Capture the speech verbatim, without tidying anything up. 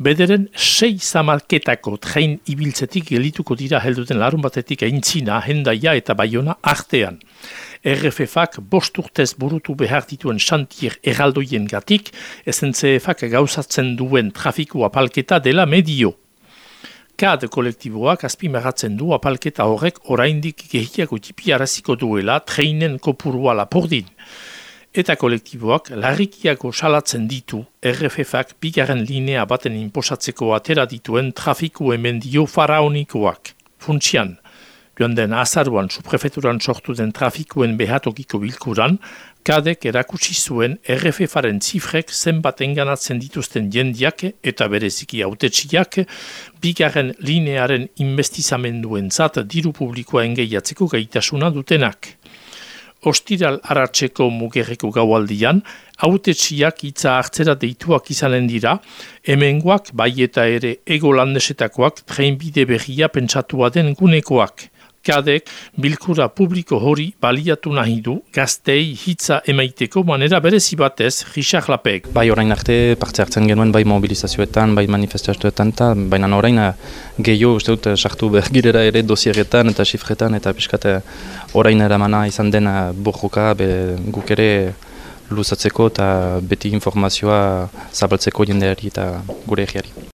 Bederen sei zamalketako train ibiltzetik gelituko dira helduten larun batetik Aintzina, Hendaia eta Baiona artean. R F F-ak bost urtez burutu behar dituen xantier erraldoien gatik, S N C F-ak gauzatzen duen trafiku apalketa dela medio. K A D kolektiboak azpimarratzen du apalketa horrek oraindik gehiago tipiaraziko duela treinen kopurua lapordin. Eta kolektiboak larrikiago salatzen ditu R F F-ak bigarren linea baten inposatzeko atera dituen trafiku emendio faraonikoak. Funtsian, joan den azaruan subprefeturan sortu den trafikuen behatokiko bilkuran, K A D-ek erakutsi zuen R F F-aren zifrek zenbat enganatzen dituzten jendiak eta bereziki hautetsiak bigarren linearen investizamenduen zat diru publikoa engeiatzeko gaitasuna dutenak. Ostiral aratzeko mugerreko gaualdian, hautetsiak hitza hartzera deituak izanen dira, hemengoak bai eta ere ego landesetakoak trenbide berria pentsatua den gunekoak. K A D-ek bilkura publiko hori baliatu nahi du gaztei hitza emaiteko manera berezi batez Richard Lapek. Bai orain arte parte hartzen genuen bai mobilizazioetan, bai manifestazioetan, baina orain gehiago uste dut sartu bergirera ere dosieretan eta xifretan eta piskate orain eramana izan den borroka guk ere luzatzeko eta beti informazioa zabaltzeko jendeari eta gure egiari.